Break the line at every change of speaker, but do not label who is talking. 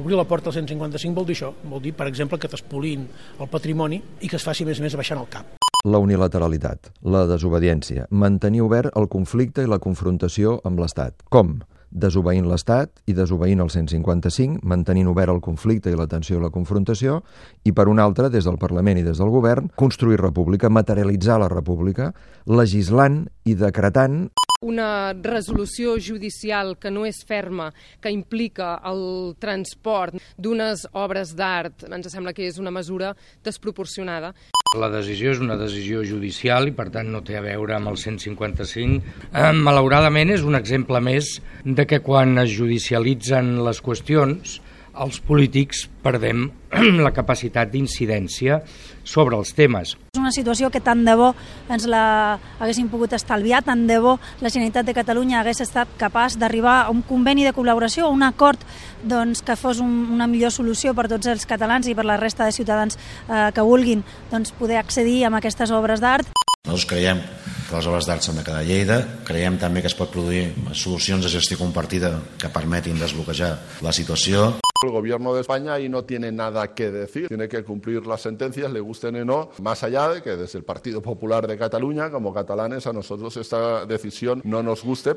Obrir la porta al 155 vol dir això, vol dir, per exemple, que t'espolin el patrimoni i que es faci més baixant el cap.
La unilateralitat, la desobediència, mantenir obert el conflicte i la confrontació amb l'Estat. Com? Desobeint l'Estat i desobeint el 155, mantenint obert el conflicte i la tensió i la confrontació, i per una altra, des del Parlament i des del Govern, construir república, materialitzar la república, legislant i decretant
una resolució judicial que no és ferma, que implica el transport d'unes obres d'art, ens sembla que és una mesura desproporcionada.
La decisió és una decisió judicial i, per tant, no té a veure amb el 155. Malauradament, és un exemple més de que quan es judicialitzen les qüestions, els polítics perdem la capacitat d'incidència sobre els temes.
És una situació que tant de bo ens la haguéssim pogut estalviar, tant de bo la Generalitat de Catalunya hagués estat capaç d'arribar a un conveni de col·laboració, a un acord que fos una millor solució per tots els catalans i per la resta de ciutadans que vulguin poder accedir a aquestes obres d'art.
Nosaltres creiem que les obres d'art s'han de quedar a Lleida, creiem també que es pot produir solucions de gestió compartida que permetin desbloquejar la situació.
El gobierno de España ahí no tiene nada que decir, tiene que cumplir las sentencias, le gusten o no, más allá de que desde el Partido Popular de Cataluña, como catalanes, a nosotros esta decisión no nos guste.